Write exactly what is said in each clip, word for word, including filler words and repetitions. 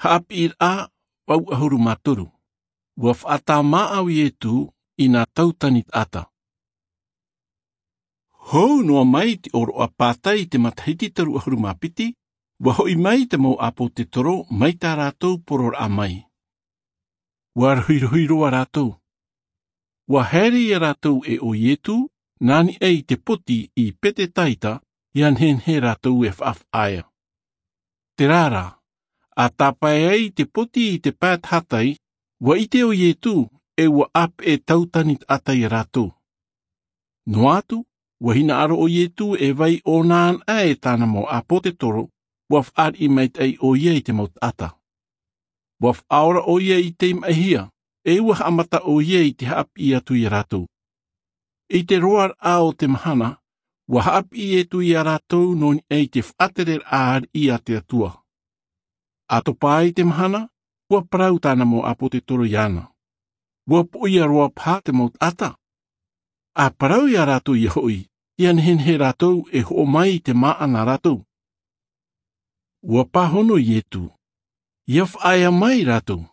Haʻapiʻiraʻa vau ʻahuru mā toru. Ua faʻatāmāʻa ʻo Ietu i nā tautani taʻata. Hou noa mai te ʻōroʻa pātai i te matahiti toru ʻahuru mā piti, ua hoʻi mai te mau ʻāpōtetoro mai tā rātou poroʻraʻa mai. Ua rohirohi roa rātou. Ua haere ia rātou e ʻo Ietu, nā niʻa i te poti i Petetaita, ʻia nehenehe rātou e faʻafaʻaea. Terā rā, a tāpae ai te poti i te pae tahatai, ua ʻite ʻo Ietu, e ua ʻāpeʻe tautani taʻata ia rātou. Noa atu, ua hinaʻaro ʻo Ietu e vai ʻōna anaʻe e tāna mau ʻāpōtetoro, ua faʻariʻi maitaʻi ʻoia i te mau taʻata. Ua faʻaora ʻoia i te maʻihia, e ua haʻamata ʻoia i te haʻapiʻi atu ia rātou. I te roaraʻa o te mahana, ua haʻapiʻi Ietu ia rātou nō niʻa i te faʻatereraʻa ariʻi a te Atua. A topa ai te mahana, ua parau tāna mau ʻāpōtetoro iāna. Ua poʻia roa paha te mau taʻata. A parau ia rātou ʻia hoʻi, ʻia nehenehe rātou e hoʻo mai i te māʻa nā rātou. Ua pāhono Ietu. ʻIa faʻaea mai rātou.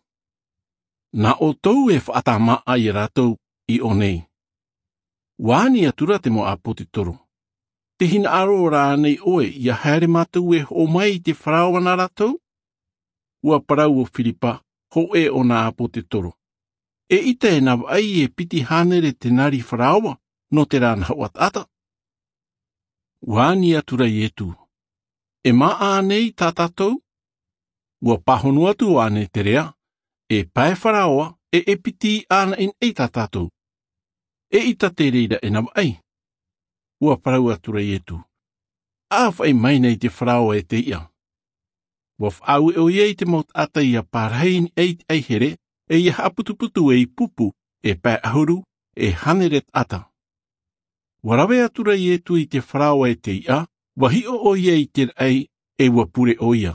Nā ʻoutou e faʻatāmāʻa ia rātou i ʻō nei. Ua ani atura te mau ʻāpōtetoro. Te hinaʻaro rā ānei ʻoe ʻia haere mātou e hoʻo mai i te Faraoa nā rātou? Ua parau ʻo Firipa, hōʻē o nā ʻāpōtetoro. E ʻita e navaʻi e piti hānere tenari Faraoa, nō terā nahoʻa taʻata. Ua ani atura Ietu. E māʻa ānei tā tātou? Ua pāhono atu ʻo Aneterea, e pae Faraoa, e e piti ʻānaʻinaʻi tā tātou. E ʻita te reira e navaʻi. Ua parau atura Ietu. ʻA faʻi mai nei te Faraoa e te iʻa. Ua faʻaue ʻoia i te mau taʻata ʻia pārahi i niʻa i te ʻaihere, e ʻia haʻaputuputu ei pupu, e pae ʻahuru, e hānere taʻata. Ua rave atura Ietu i te Faraoa e te iʻa, ua hiʻo ʻoia i te raʻi, e ua pure ʻoia.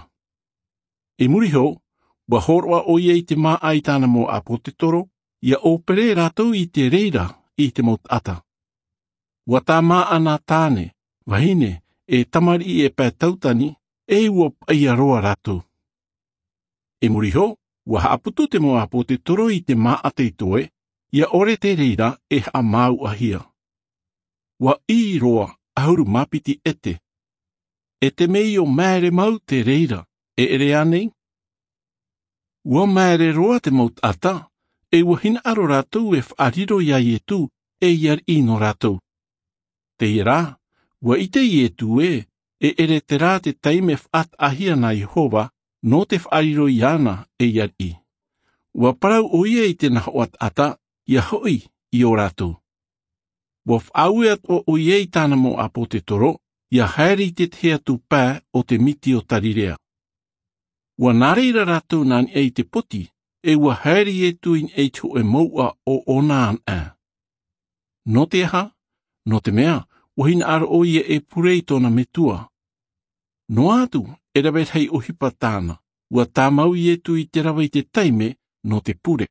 I muri iho, ua hōroʻa ʻoia i te māʻa i tāna mau ʻāpōtetoro, ʻia ʻōpere rātou i te reira i te mau taʻata. Ua tāmāʻa nā tāne, vahine, e tamariʻi e pae tautani, e ua paʻia roa rātou. I muri iho, ua haʻaputu te mau ʻāpōtetoro i te māʻa tei toe, ʻia ʻore te reira e haʻamāuʻahia. Ua ʻī roa ʻahuru mā piti ʻete. E te mea ʻo maere mau te reira, e ʻere ānei? Ua maere roa te mau taʻata, e ua hinaʻaro rātou e faʻariro iā Ietu, e ʻia ariʻi nō rātou. Teie rā, ua ʻite Ietu ē, e ʻere terā te taime faʻataʻahia nā Iehova, nō te faʻariro iāna e ʻia ariʻi. Ua parau ʻoia i te nahoʻa taʻata, ʻia hoʻi i ō rātou. Ua faʻaue atoʻa ʻoia i tāna mau ʻāpōtetoro, ʻia haere i te tahi atu pae o te miti o Tarirea. Ua nā reira rātou nā niʻa i te poti, e ua haere Ietu i niʻa i te hōʻē mouʻa o ʻōna anaʻe. Nō te aha? Nō te mea, ua hinaʻaro ʻoia e pure i tōna metua. Noa atu, e rave rahi ʻohipa tāna, ua tāmau Ietu i te rave i te taime nō te pure.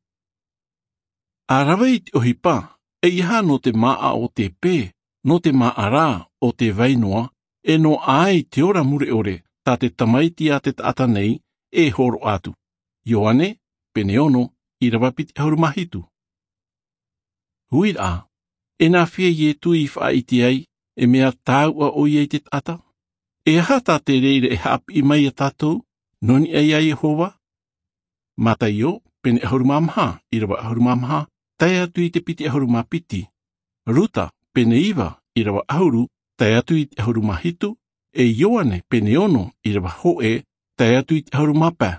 ʻA rave i te ʻohipa, eiaha nō te māʻa o te pē, nō te māʻa rā o te vai noa, e noaʻa ai te ora mure ʻore, tā te Tamaiti a te taʻata nei, e hōroʻa atu. Ioane, pene ono, ʻīrava piti ʻahuru mā hitu. Huiraʻa, e nāfea Ietu i faʻaʻite ai, e mea tāuʻa ʻoia i te taʻata? E aha tā te reira e haʻapiʻi mai iā tātou, nō niʻa iā Iehova? Mataio, pene ʻahuru mā maha, ʻīrava ʻahuru mā maha, tae atu i te piti ʻahuru mā piti. Ruta, pene iva, ʻīrava ʻahuru, tae atu i te ʻahuru mā hitu, e Ioane, pene ono, ʻīrava hōʻē, tae atu i te ʻahuru mā pae.